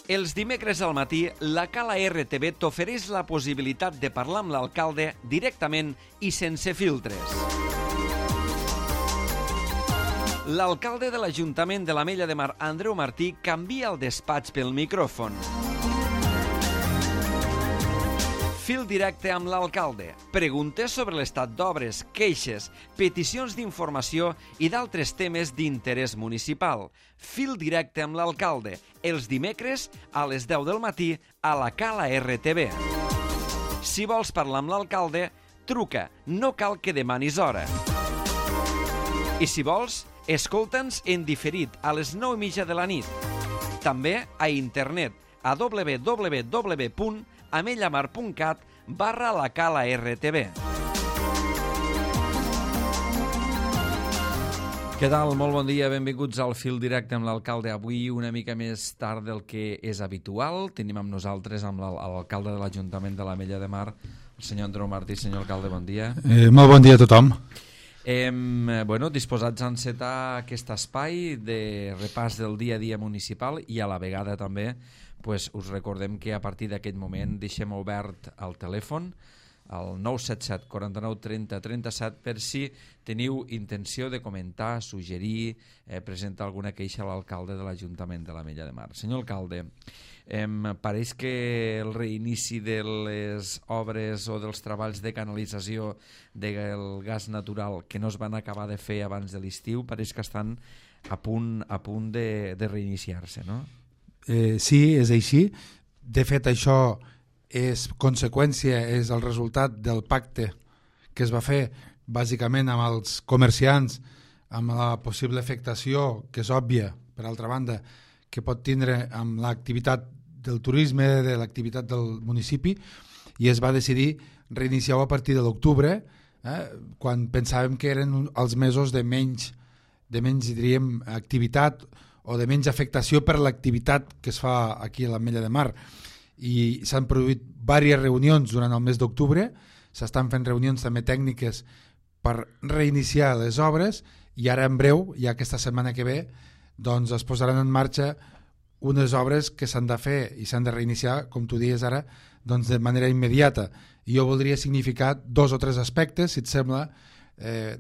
Els dimecres al matí, la Cala RTV t'ofereix la possibilitat de parlar amb l'alcalde directament i sense filtres. L'alcalde de l'Ajuntament de l'Ametlla de Mar, Andreu Martí, canvia el despatx pel micròfon. Fil directe amb l'alcalde. Preguntes sobre l'estat d'obres, queixes, peticions d'informació i d'altres temes d'interès municipal. Fil directe amb l'alcalde. Els dimecres a les 10 del matí a la Cala RTV. Si vols parlar amb l'alcalde, truca. No cal que demanis hora. I si vols, escolta'ns en diferit a les 9:30 de la nit. També a internet a www.amellamar.cat/la Cala RTV. Què tal? Molt bon dia, benvinguts al Fil Directe amb l'alcalde. Avui una mica més tard del que és habitual. Tenim amb nosaltres amb l'alcalde de l'Ajuntament de l'Ametlla de Mar, el senyor Andreu Martí. Senyor alcalde, bon dia. Molt bon dia a tothom. Disposats a encetar aquest espai de repàs del dia a dia municipal i a la vegada també us recordem que a partir d'aquest moment deixem obert el telèfon al 977 49 30 37 per si teniu intenció de comentar, suggerir, presentar alguna queixa a l'alcalde de l'Ajuntament de l'Ametlla de Mar. Senyor alcalde, pareix que el reinici de les obres o dels treballs de canalització del gas natural que no es van acabar de fer abans de l'estiu pareix que estan a punt de reiniciar-se, no? Sí, és així. De fet, això és conseqüència, és el resultat del pacte que es va fer bàsicament amb els comerciants, amb la possible afectació, que és òbvia, per altra banda, que pot tindre amb l'activitat del turisme, de l'activitat del municipi, i es va decidir reiniciar-ho a partir de l'octubre, quan pensàvem que eren els mesos de menys diríem, activitat o de menys afectació per l'activitat que es fa aquí a l'Ametlla de Mar. I s'han produït diverses reunions durant el mes d'octubre, s'estan fent reunions també tècniques per reiniciar les obres i ara en breu, ja aquesta setmana que ve, doncs es posaran en marxa unes obres que s'han de fer i s'han de reiniciar, com tu dius ara, doncs de manera immediata. I jo voldria significar 2 o 3 aspectes, si et sembla,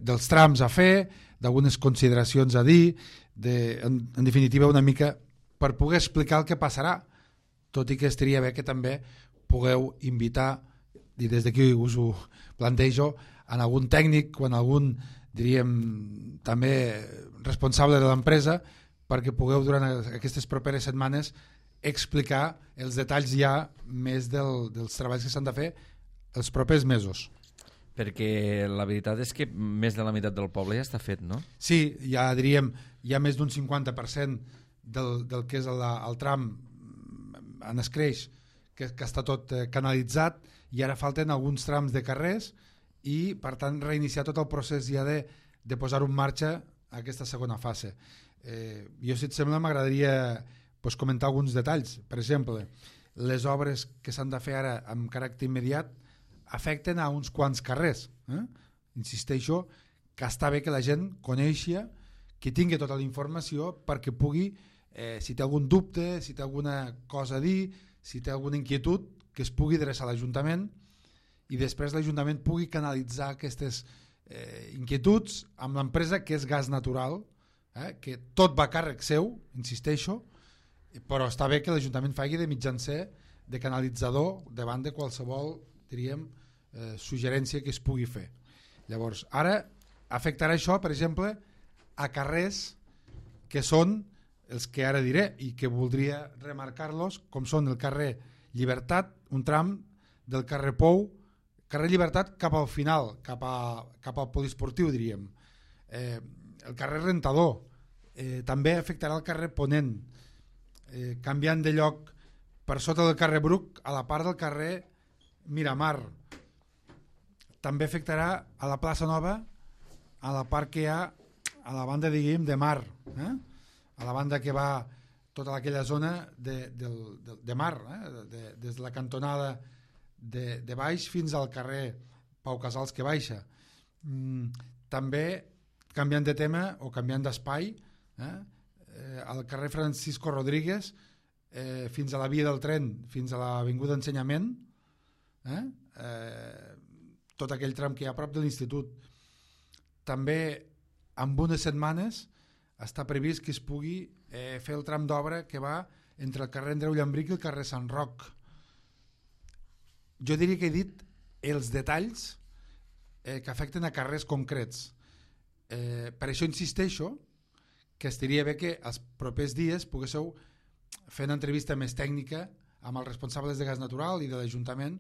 dels trams a fer, d'algunes consideracions a dir, en definitiva una mica per poder explicar el que passarà, tot i que estaria bé que també pugueu invitar, i des d'aquí us ho plantejo, en algun tècnic o en algun, diríem, també responsable de l'empresa, perquè pugueu durant aquestes properes setmanes explicar els detalls ja més dels treballs que s'han de fer els propers mesos. Perquè la veritat és que més de la meitat del poble ja està fet, no? Sí, ja diríem, hi ha més d'un 50% del que és el tram en escreix, que està tot canalitzat, i ara falten alguns trams de carrers i, per tant, reiniciar tot el procés ja de posar-ho en marxa aquesta segona fase. Jo, si et sembla, m'agradaria comentar alguns detalls. Per exemple, les obres que s'han de fer ara amb caràcter immediat afecten a uns quants carrers. Insisteixo que està bé que la gent coneixi, que tingui tota la informació perquè pugui, si té algun dubte, si té alguna cosa a dir, si té alguna inquietud, que es pugui adreçar a l'Ajuntament i després l'Ajuntament pugui canalitzar aquestes inquietuds amb l'empresa que és Gas Natural, que tot va a càrrec seu, insisteixo, però està bé que l'Ajuntament faci de mitjancer, de canalitzador davant de qualsevol, diríem, suggerència que es pugui fer. Llavors, ara afectarà això, per exemple, a carrers que són els que ara diré i que voldria remarcar-los, com són el carrer Llibertat, un tram del carrer Pou, carrer Llibertat cap al final, cap al poliesportiu, diríem. El carrer Rentador, també afectarà el carrer Ponent, canviant de lloc per sota del carrer Bruc a la part del carrer Miramar. També afectarà a la plaça Nova, a la part que hi ha a la banda, diguem, de mar, a la banda que va tota aquella zona de mar, des de la cantonada de baix fins al carrer Pau Casals que baixa. També, canviant de tema o canviant d'espai, al carrer Francisco Rodríguez fins a la via del tren, fins a l'Avinguda Ensenyament, tot aquell tram que hi ha a prop de l'institut. També en unes setmanes està previst que es pugui fer el tram d'obra que va entre el carrer Andreu Llambric i el carrer Sant Roc. Jo diria que he dit els detalls que afecten a carrers concrets. Per això insisteixo que estaria bé que els propers dies poguéssiu fer una entrevista més tècnica amb els responsables de gas natural i de l'Ajuntament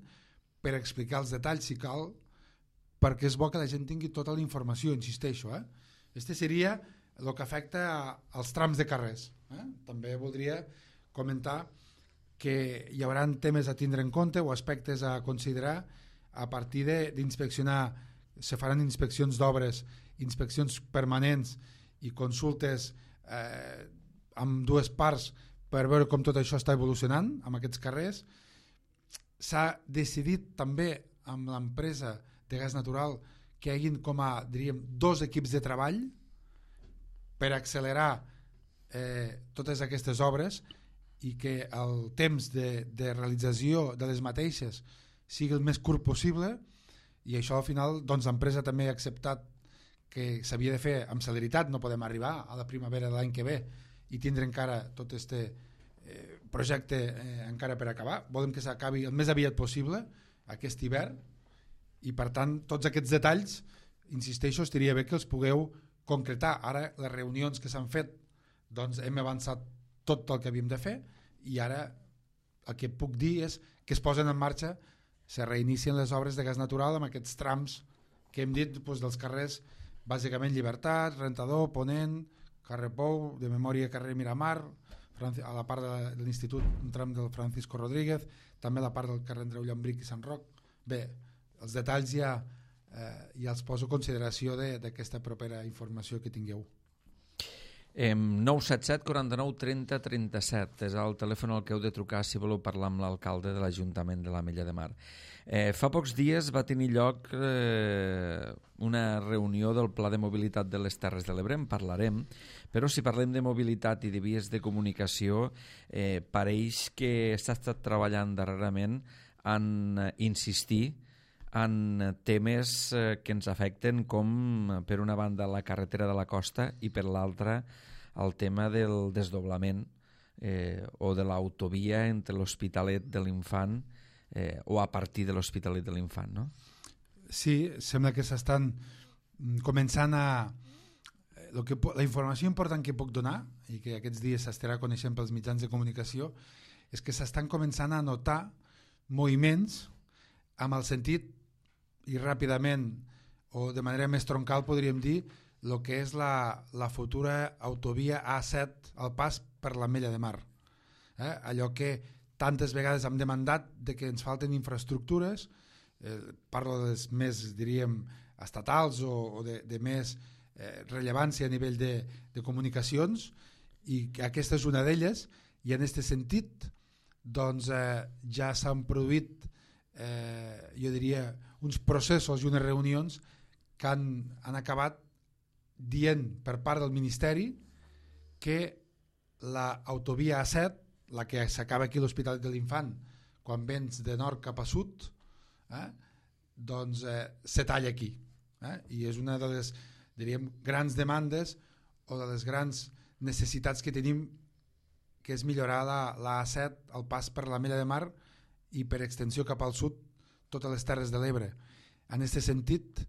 per explicar els detalls si cal, perquè és bo que la gent tingui tota la informació, insisteixo. Este seria el que afecta als trams de carrers. També voldria comentar que hi haurà temes a tindre en compte o aspectes a considerar a partir d'inspeccionar. Se faran inspeccions d'obres, inspeccions permanents i consultes amb dues parts per veure com tot això està evolucionant amb aquests carrers. S'ha decidit també amb l'empresa de gas natural que hi hagin com a, diríem, 2 equips de treball per accelerar totes aquestes obres i que el temps de realització de les mateixes sigui el més curt possible, i això al final doncs, l'empresa també ha acceptat que s'havia de fer amb celeritat. No podem arribar a la primavera de l'any que ve i tindre encara tot este projecte encara per acabar. Volem que s'acabi el més aviat possible aquest hivern, i per tant tots aquests detalls, insisteixo, estaria bé que els pugueu concretar. Ara les reunions que s'han fet doncs hem avançat tot el que havíem de fer, i ara el que puc dir és que es posen en marxa, se reinicien les obres de gas natural amb aquests trams que hem dit doncs, dels carrers, bàsicament Llibertat, Rentador, Ponent, carrer Pou, de memòria carrer Miramar, a la part de l'institut un tram del Francisco Rodríguez, també la part del carrer Andreu Llambric i Sant Roc. Bé, els detalls ja els poso a consideració d'aquesta propera informació que tingueu. 977 49 30 37 és el telèfon al que heu de trucar si voleu parlar amb l'alcalde de l'Ajuntament de l'Ametlla de Mar. Fa pocs dies va tenir lloc una reunió del Pla de Mobilitat de les Terres de l'Ebre, en parlarem, però si parlem de mobilitat i de vies de comunicació, pareix que s'ha estat treballant darrerament en insistir en temes que ens afecten, com per una banda la carretera de la costa i per l'altra el tema del desdoblament o de l'autovia entre l'Hospitalet de l'Infant o a partir de l'Hospitalet de l'Infant, no? Sí, sembla que s'estan començant a... La informació important que puc donar i que aquests dies s'estarà coneixent pels mitjans de comunicació és que s'estan començant a notar moviments amb el sentit, i ràpidament o de manera més troncal podríem dir, el que és la futura autovia A7 al pas per l'Ametlla de Mar. Allò que tantes vegades hem demandat de que ens falten infraestructures, parlo de les més, diríem, estatals o de més rellevància a nivell de comunicacions, i aquesta és una d'elles, i en aquest sentit doncs, ja s'han produït jo diria uns processos i unes reunions que han acabat dient per part del Ministeri que l'autovia A7, la que s'acaba aquí a l'Hospitalet de l'Infant quan vens de nord cap a sud, doncs se talla aquí, i és una de les, diríem, grans demandes o de les grans necessitats que tenim, que és millorar la A7 al pas per l'Ametlla de Mar i per extensió cap al sud totes les Terres de l'Ebre. En aquest sentit,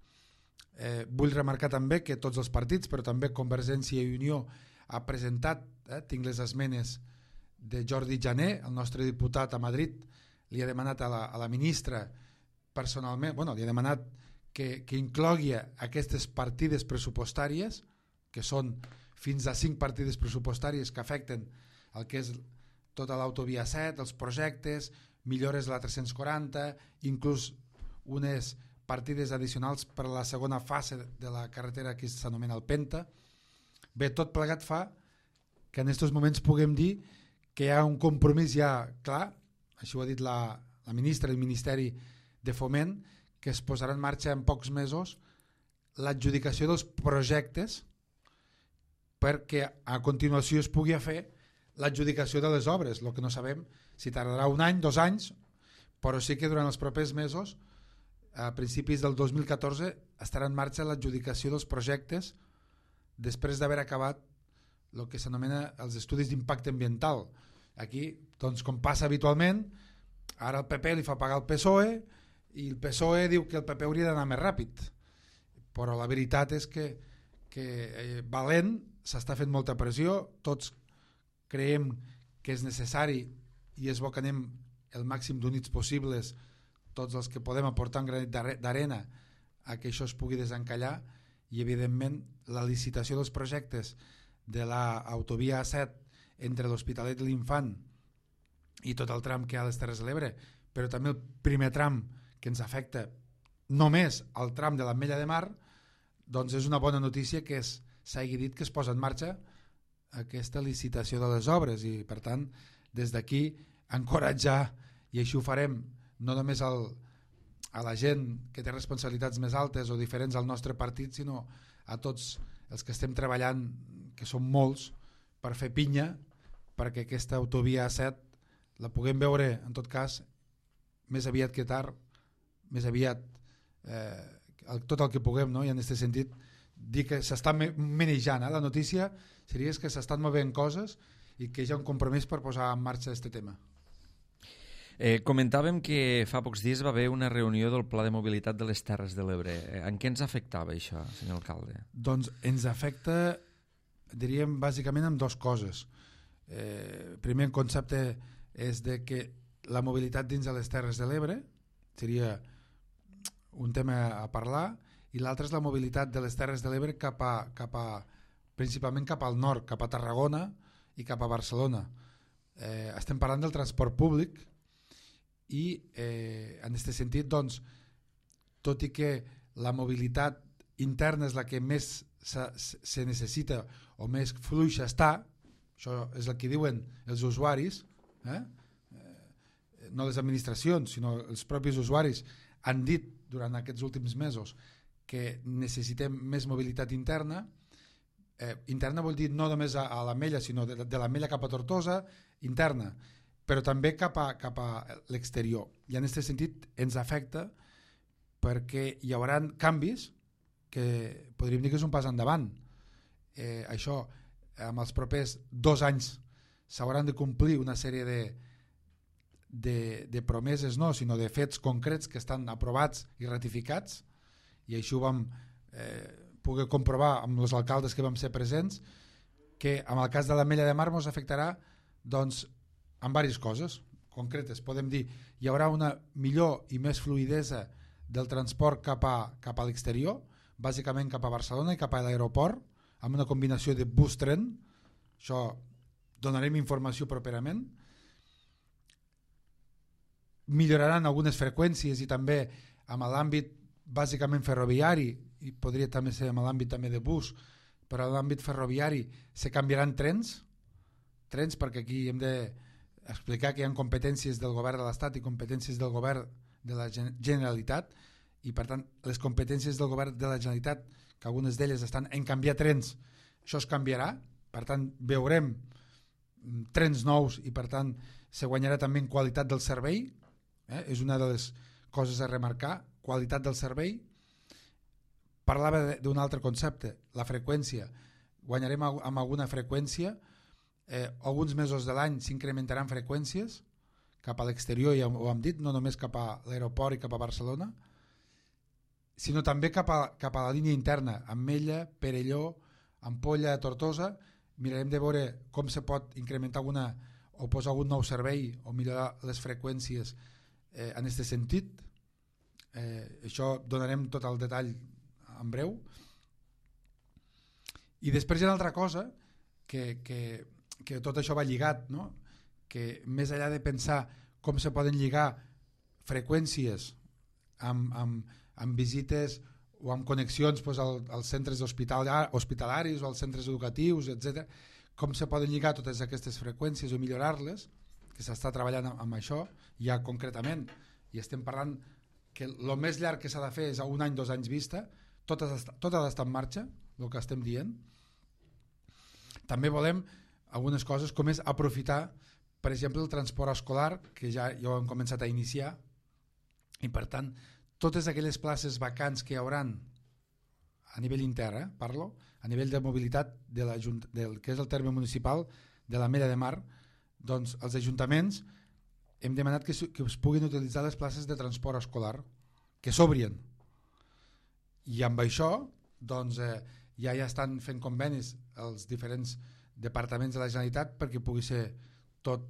vull remarcar també que tots els partits, però també Convergència i Unió, ha presentat, tinc les esmenes de Jordi Jané, el nostre diputat a Madrid, li ha demanat a la ministra personalment, li ha demanat que inclogui aquestes partides pressupostàries, que són fins a 5 partides pressupostàries que afecten el que és tota l'autovia 7, els projectes, millores a la 340, inclús unes partides addicionals per a la segona fase de la carretera que s'anomena el Penta. Bé, tot plegat fa que en aquests moments puguem dir que hi ha un compromís ja clar, això ho ha dit la ministra del Ministeri de Foment, que es posarà en marxa en pocs mesos l'adjudicació dels projectes perquè a continuació es pugui fer l'adjudicació de les obres. El que no sabem si tardarà 1 any, 2 anys, però sí que durant els propers mesos, a principis del 2014, estarà en marxa l'adjudicació dels projectes després d'haver acabat el que s'anomena els estudis d'impacte ambiental. Aquí, doncs, com passa habitualment, ara el PP li fa pagar el PSOE i el PSOE diu que el PP hauria d'anar més ràpid, però la veritat és que valent, s'està fent molta pressió, tots creiem que és necessari i és bo que anem el màxim d'units possibles, tots els que podem aportar un granet d'arena a que això es pugui desencallar, i evidentment la licitació dels projectes de l'autovia A7 entre l'Hospitalet i l'Infant i tot el tram que hi ha a les Terres de l'Ebre, però també el primer tram que ens afecta només al tram de l'Ametlla de Mar, doncs és una bona notícia que s'hagi dit que es posa en marxa aquesta licitació de les obres, i per tant des d'aquí encoratjar, i així ho farem no només a la gent que té responsabilitats més altes o diferents al nostre partit, sinó a tots els que estem treballant, que són molts, per fer pinya perquè aquesta autovia A7 la puguem veure, en tot cas, més aviat que tard, més aviat tot el que puguem, no? I en aquest sentit dir que s'està manejant, la notícia seria que s'estan movent coses i que hi ha un compromís per posar en marxa aquest tema. Comentàvem que fa pocs dies va haver una reunió del Pla de Mobilitat de les Terres de l'Ebre. En què ens afectava això, senyor alcalde? Doncs ens afecta, diríem, bàsicament amb dues coses. Primer concepte és de que la mobilitat dins de les Terres de l'Ebre seria un tema a parlar, i l'altre és la mobilitat de les Terres de l'Ebre principalment cap al nord, cap a Tarragona i cap a Barcelona. Estem parlant del transport públic, i en aquest sentit, doncs, tot i que la mobilitat interna és la que més se necessita o més fluixa està, això és el que diuen els usuaris, no les administracions sinó els propis usuaris han dit durant aquests últims mesos que necessitem més mobilitat interna. Interna vol dir no només a l'Ametlla, sinó de l'Ametlla cap a Tortosa, interna, però també cap a l'exterior. I en aquest sentit ens afecta perquè hi haurà canvis que podríem dir que és un pas endavant. Això, amb els propers 2 anys s'hauran de complir una sèrie de promeses, no, sinó de fets concrets que estan aprovats i ratificats, i així ho vam poder comprovar amb els alcaldes que vam ser presents, que en el cas de l'Ametlla de Mar ens afectarà, doncs, en diverses coses concretes. Podem dir hi haurà una millor i més fluidesa del transport cap a l'exterior, bàsicament cap a Barcelona i cap a l'aeroport, amb una combinació de bus-tren. Això donarem informació properament. Milloraran algunes freqüències i també amb l'àmbit bàsicament ferroviari, i podria també ser amb l'àmbit també de bus, però en l'àmbit ferroviari se canviaran trens perquè aquí hem d'explicar que hi ha competències del govern de l'Estat i competències del govern de la Generalitat, i per tant les competències del govern de la Generalitat, que algunes d'elles estan en canviar trens, això es canviarà, per tant veurem trens nous i per tant se guanyarà també en qualitat del servei, és una de les coses a remarcar, qualitat del servei. Parlava d'un altre concepte, la freqüència. Guanyarem amb alguna freqüència, alguns mesos de l'any s'incrementaran freqüències cap a l'exterior, ja ho hem dit, no només cap a l'aeroport i cap a Barcelona, sinó també cap a la línia interna, Ametlla, Perelló, Ampolla, Tortosa. Mirarem de veure com se pot incrementar alguna o posar algun nou servei o millorar les freqüències en aquest sentit. Això donarem tot el detall en breu. I després hi ha una altra cosa que tot això va lligat, no? Que més enllà de pensar com se poden lligar freqüències amb visites o amb connexions als centres hospitalaris o als centres educatius, etc., com se poden lligar totes aquestes freqüències o millorar-les, que s'està treballant amb això ja concretament, i estem parlant que el més llarg que s'ha de fer és a 1 any, 2 anys vista, tot ha d'estar en marxa, el que estem dient. També volem algunes coses, com és aprofitar, per exemple, el transport escolar, que ja ho hem començat a iniciar, i per tant, totes aquelles places vacants que hi hauran a nivell intern, parlo, a nivell de mobilitat del que és el terme municipal de l'Ametlla de Mar, doncs els ajuntaments hem demanat que es puguin utilitzar les places de transport escolar, que s'obrien. I amb això doncs, ja estan fent convenis els diferents departaments de la Generalitat perquè pugui ser tot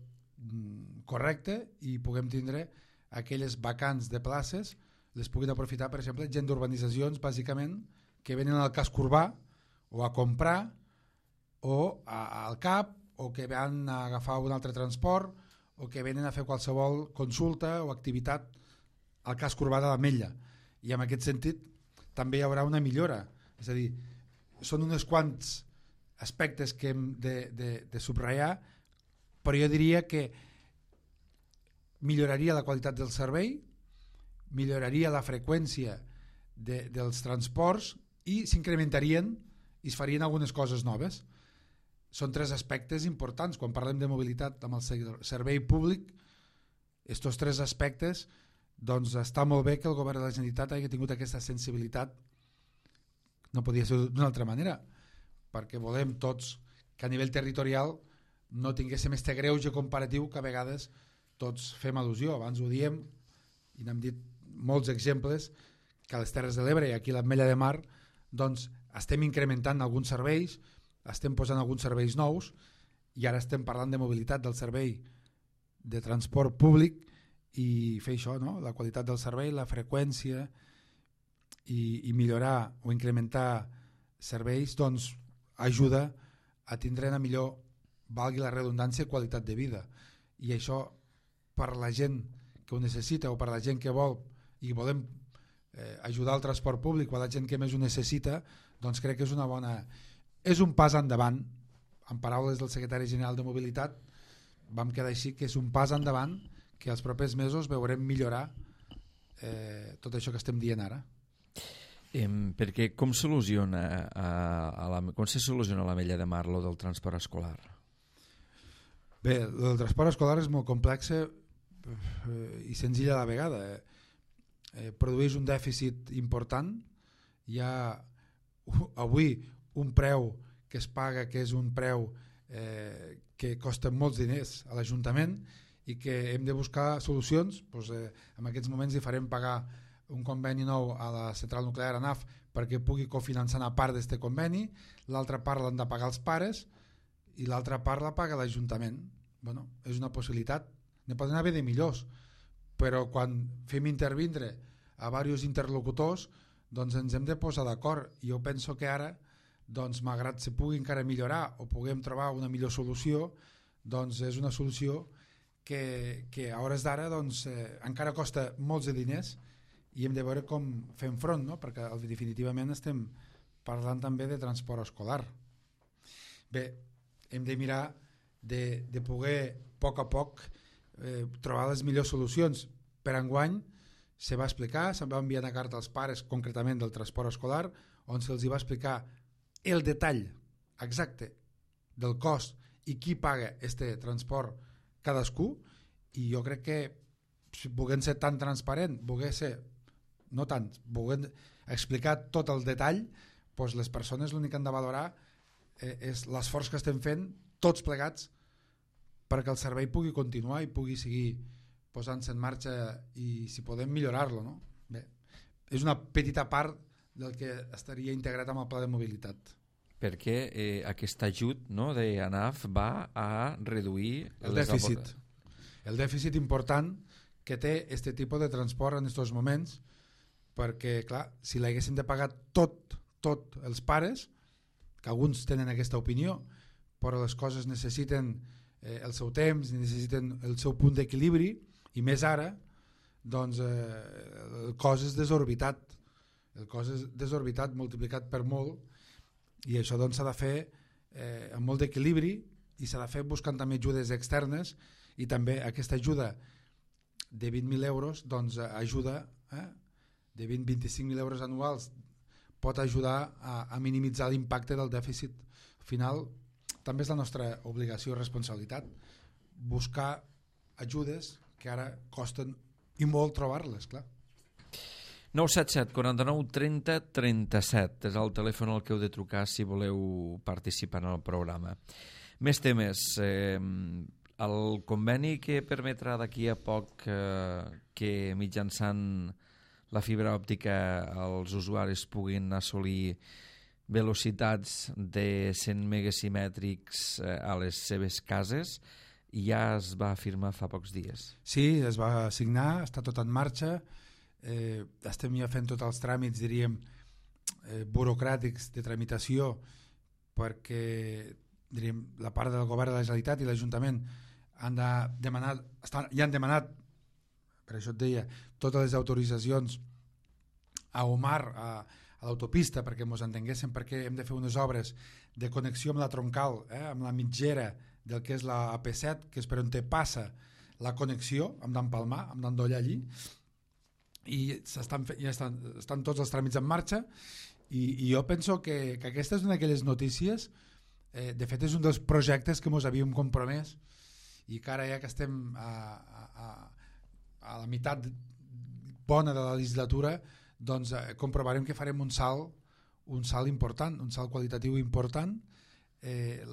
correcte i puguem tindre aquelles vacants de places, les puguin aprofitar, per exemple, gent d'urbanitzacions, bàsicament, que venen al casc urbà o a comprar o al CAP o que van a agafar un altre transport o que venen a fer qualsevol consulta o activitat al casc urbà de l'Ametlla. I en aquest sentit també hi haurà una millora. És a dir, són uns quants aspectes que hem de subratllar, però jo diria que milloraria la qualitat del servei, milloraria la freqüència dels transports i s'incrementarien i es farien algunes coses noves. Són tres aspectes importants. Quan parlem de mobilitat amb el servei públic, aquests tres aspectes, doncs està molt bé que el govern de la Generalitat hagi tingut aquesta sensibilitat. No podia ser d'una altra manera, perquè volem tots que a nivell territorial no tinguéssim este greuge comparatiu que a vegades tots fem al·lusió. Abans ho diem i n'hem dit molts exemples, que a les Terres de l'Ebre i aquí a l'Ametlla de Mar doncs estem incrementant alguns serveis, estem posant alguns serveis nous i ara estem parlant de mobilitat del servei de transport públic i fer això, no? La qualitat del servei, la freqüència i millorar o incrementar serveis doncs ajuda a tindre una millor, valgui la redundància, qualitat de vida. I això per la gent que ho necessita o per la gent que vol i volem ajudar al transport públic o a la gent que més ho necessita, doncs crec que és una bona... És un pas endavant. En paraules del secretari general de Mobilitat vam quedar així, que és un pas endavant que els propers mesos veurem millorar tot això que estem dient ara. Perquè com se soluciona a l'Ametlla de Mar lo del transport escolar? Bé, el transport escolar és molt complex i senzill a la vegada. Produeix un dèficit important. Hi ha avui un preu que es paga, que és un preu que costa molts diners a l'Ajuntament i que hem de buscar solucions. Doncs, en aquests moments hi farem pagar un conveni nou a la central nuclear ANAF perquè pugui cofinançar una part d'aquest conveni, l'altra part l'han de pagar els pares i l'altra part la paga l'Ajuntament. Bueno, és una possibilitat, ne poden haver de millors, però quan fem intervindre a diversos interlocutors doncs ens hem de posar d'acord. Jo penso que ara, doncs, malgrat se pugui encara millorar o puguem trobar una millor solució, doncs és una solució que a hores d'ara doncs, encara costa molts de diners i hem de veure com fem front, no? Perquè definitivament estem parlant també de transport escolar. Bé, hem de mirar de poder a poc trobar les millors solucions. Per enguany se va explicar, se'n va enviar una carta als pares concretament del transport escolar on se'ls va explicar el detall exacte del cost i qui paga este transport cadascú, i jo crec que si volent ser tan transparent, volent explicar tot el detall, doncs les persones l'únic que han de valorar és l'esforç que estem fent tots plegats perquè el servei pugui continuar i pugui seguir posant-se en marxa i si podem millorar-lo, no? Bé, és una petita part del que estaria integrat amb el pla de mobilitat. Perquè aquest ajut, no, d'ANAF va a reduir el dèficit. El dèficit important que té aquest tipus de transport en aquests moments, perquè, clar, si l'haguessin de pagar tot els pares, que alguns tenen aquesta opinió, però les coses necessiten el seu temps, necessiten el seu punt d'equilibri, i més ara, doncs el cost és desorbitat. El cost és desorbitat, multiplicat per molt, i això doncs s'ha de fer amb molt d'equilibri i s'ha de fer buscant també ajudes externes, i també aquesta ajuda de 20.000 euros doncs ajuda, de 20-25.000 euros anuals pot ajudar a minimitzar l'impacte del dèficit final també és la nostra obligació i responsabilitat buscar ajudes que ara costen i molt trobar-les, clar. 977 49 30 37 és el telèfon al que heu de trucar si voleu participar en el programa. Més temes. El conveni que permetrà d'aquí a poc que mitjançant la fibra òptica els usuaris puguin assolir velocitats de 100 megasimètrics a les seves cases ja es va firmar fa pocs dies. Sí, es va signar, està tot en marxa. Estem ja fent tots els tràmits, diríem, burocràtics de tramitació perquè, diríem, la part del govern de la Generalitat i l'Ajuntament han demanat, ja han demanat, per això et deia, totes les autoritzacions a Omar, a l'autopista, perquè ens entenguéssim, perquè hem de fer unes obres de connexió amb la troncal, amb la mitgera del que és la AP7, que és per on te passa la connexió, hem d'empalmar, hem d'endollar allí, i ja estan tots els tràmits en marxa, i jo penso que aquesta és una d'aquelles notícies, de fet és un dels projectes que ens havíem compromès, i que ara ja que estem a la meitat bona de la legislatura, doncs comprovarem que farem un salt important, un salt qualitatiu important.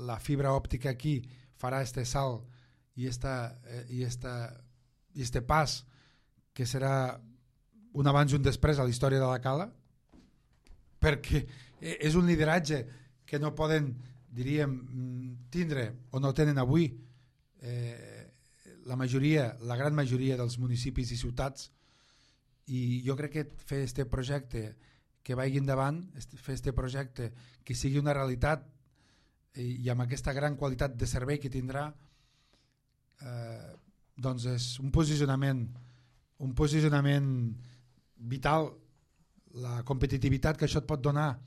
La fibra òptica aquí farà este salt i este pas que serà un abans i un després a la història de la Cala, perquè és un lideratge que no poden, diríem, tindre o no tenen avui la gran majoria dels municipis i ciutats, i jo crec que fer este projecte que vagi endavant, fer este projecte que sigui una realitat i amb aquesta gran qualitat de servei que tindrà, doncs és un posicionament vital. La competitivitat que això et pot donar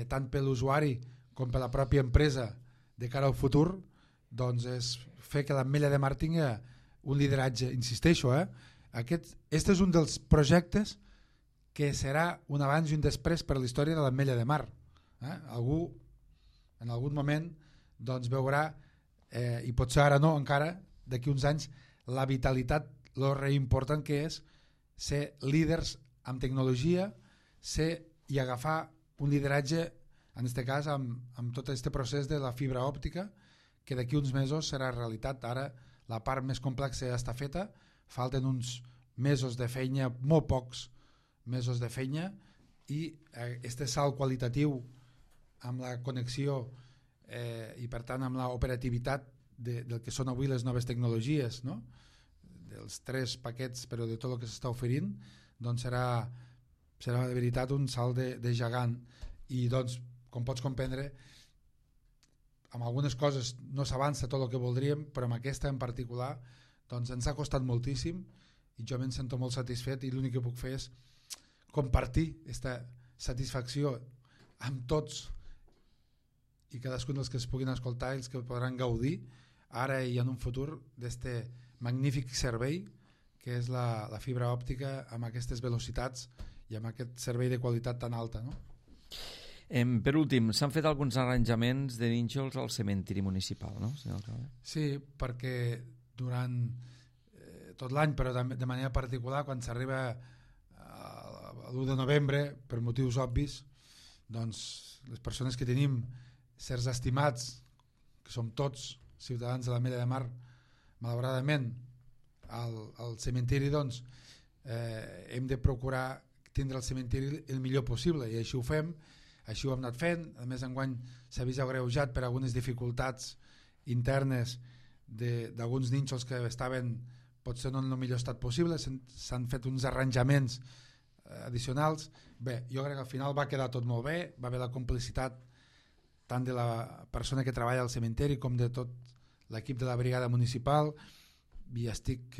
tant per l'usuari com per la pròpia empresa de cara al futur, doncs és fer que l'Ametlla de Mar tingui un lideratge, insisteixo, Este és un dels projectes que serà un abans i un després per a la història de l'Ametlla de Mar. Algú en algun moment doncs veurà, i potser ara no encara, d'aquí uns anys, la vitalitat, lo reimportant que és ser líders amb tecnologia, i agafar un lideratge, en aquest cas amb tot aquest procés de la fibra òptica, que d'aquí uns mesos serà realitat. Ara la part més complexa ja està feta, falten uns mesos de feina, molt pocs mesos de feina, i este salt qualitatiu amb la connexió i per tant amb l'operativitat del que són avui les noves tecnologies, no? Dels 3 paquets però de tot el que s'està oferint, doncs serà de veritat un salt de gegant. I doncs, com pots comprendre, amb algunes coses no s'avança tot el que voldríem, però amb aquesta en particular doncs ens ha costat moltíssim i jo me'n sento molt satisfet, i l'únic que puc fer és compartir aquesta satisfacció amb tots i cadascun dels que es puguin escoltar i els que podran gaudir ara i en un futur d'este magnífic servei que és la fibra òptica amb aquestes velocitats i amb aquest servei de qualitat tan alta, no? Per últim, s'han fet alguns arranjaments de nínxols al cementiri municipal, no? Sí, perquè durant tot l'any, però de manera particular quan s'arriba a l'1 de novembre, per motius obvis, doncs les persones que tenim certs estimats, que som tots ciutadans de l'Ametlla de Mar, malauradament al cementiri, doncs hem de procurar tindre el cementiri el millor possible, i així ho fem, així ho hem anat fent. A més, enguany s'ha vist agreujat per algunes dificultats internes d'alguns nínxols que estaven potser no en el millor estat possible, s'han fet uns arranjaments addicionals. Bé, jo crec que al final va quedar tot molt bé, va haver la complicitat tant de la persona que treballa al cementeri com de tot l'equip de la brigada municipal, i estic,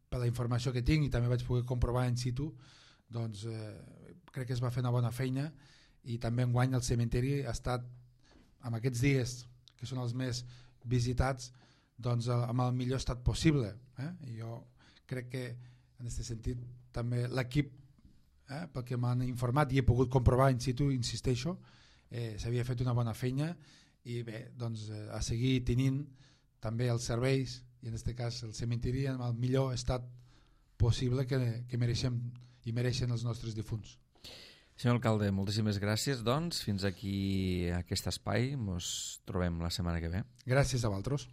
per la informació que tinc i també vaig poder comprovar in situ, doncs crec que es va fer una bona feina, i també enguany el cementeri ha estat, en aquests dies que són els més visitats, doncs amb el millor estat possible, i jo crec que en aquest sentit també l'equip, pel que m'han informat i he pogut comprovar in situ, insisteixo, s'havia fet una bona feina, i bé, doncs a seguir tenint també els serveis i en aquest cas el cementiri en el millor estat possible que mereixem i mereixen els nostres difunts. Senyor alcalde, moltíssimes gràcies, doncs fins aquí aquest espai, ens trobem la setmana que ve. Gràcies a vosaltres.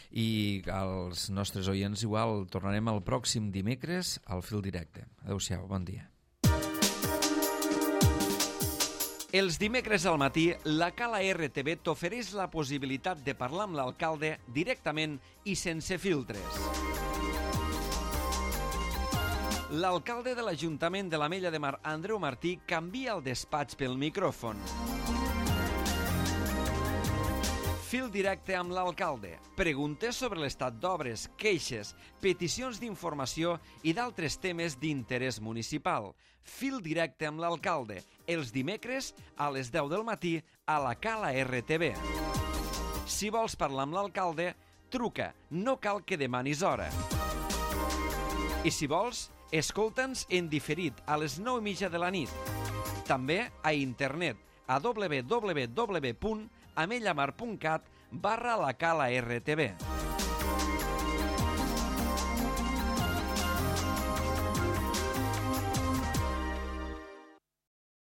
I als nostres oients igual, tornarem el pròxim dimecres al Fil Directe. Adéu-siau, bon dia. Els dimecres al matí, la Cala RTV t'ofereix la possibilitat de parlar amb l'alcalde directament i sense filtres. L'alcalde de l'Ajuntament de l'Ametlla de Mar, Andreu Martí, canvia el despatx pel micròfon. Fil directe amb l'alcalde. Preguntes sobre l'estat d'obres, queixes, peticions d'informació i d'altres temes d'interès municipal. Fil directe amb l'alcalde. Els dimecres a les 10 del matí a la Cala RTV. Si vols parlar amb l'alcalde, truca. No cal que demanis hora. I si vols, escolta'ns en diferit a les 9:30 de la nit. També a internet a www.amellamar.cat/la Cala RTV.